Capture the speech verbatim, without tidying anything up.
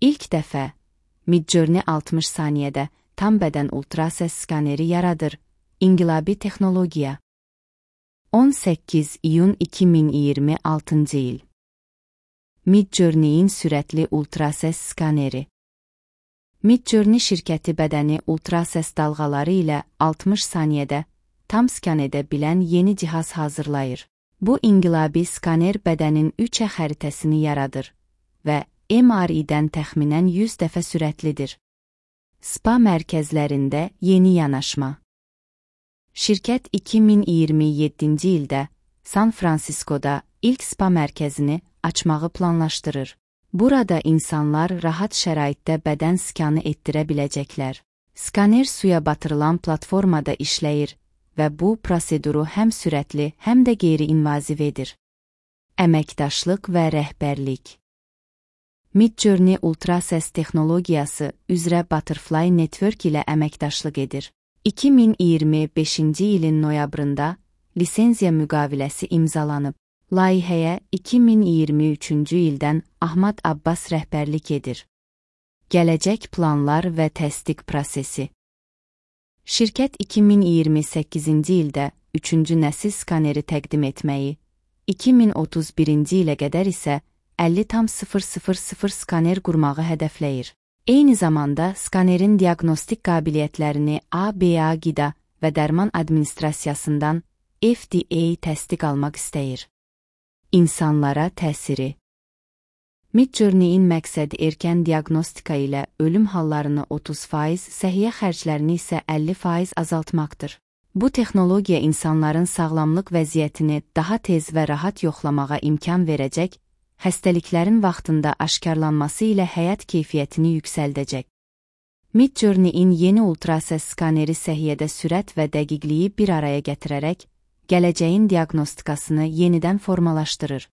İlk dəfə Midjourney altmış saniyədə tam bədən ultrasəs skaneri yaradır. İnqilabi texnologiya. on səkkiz iyun iki min iyirmi altıncı il. Midjourney'in sürətli ultrasəs skaneri. Midjourney şirkəti bədəni ultrasəs dalğaları ilə altmış saniyədə tam skan edə bilən yeni cihaz hazırlayır. Bu inqilabi skaner bədənin üç ə xəritəsini yaradır və M R I-dən təxminən yüz dəfə sürətlidir. Spa mərkəzlərində yeni yanaşma. Şirkət iki min iyirmi yeddinci ildə San Fransiskoda ilk spa mərkəzini açmağı planlaşdırır. Burada insanlar rahat şəraitdə bədən skanı etdirə biləcəklər. Skaner suya batırılan platformada işləyir və bu proseduru həm sürətli, həm də qeyri-invaziv edir. Əməkdaşlıq və rəhbərlik. Midjourney ultrasəs texnologiyası üzrə Butterfly Network ilə əməkdaşlıq edir. iki min iyirmi beşinci ilin noyabrında lisenziya müqaviləsi imzalanıb. Layihəyə iki min iyirmi üçüncü ildən Ahmad Abbas rəhbərlik edir. Gələcək planlar və təsdiq prosesi. Şirkət iki min iyirmi səkkizinci ildə üçüncü nəsil skaneri təqdim etməyi, iki min otuz birinci ilə qədər isə əlli tam sıfır sıfır sıfır skaner qurmağı hədəfləyir. Eyni zamanda skanerin diaqnostik qabiliyyətlərini A B A Qida və Dərman Administrasiyasından F D A təsdiq almaq istəyir. İnsanlara təsiri. Midjourney'in məqsədi erkən diaqnostika ilə ölüm hallarını otuz faiz, səhiyyə xərclərini isə əlli faiz azaltmaqdır. Bu texnologiya insanların sağlamlıq vəziyyətini daha tez və rahat yoxlamağa imkan verəcək, xəstəliklərin vaxtında aşkarlanması ilə həyat keyfiyyətini yüksəldəcək. Midjourney'in yeni ultrasəs skaneri səhiyyədə sürət və dəqiqliyi bir araya gətirərək, gələcəyin diaqnostikasını yenidən formalaşdırır.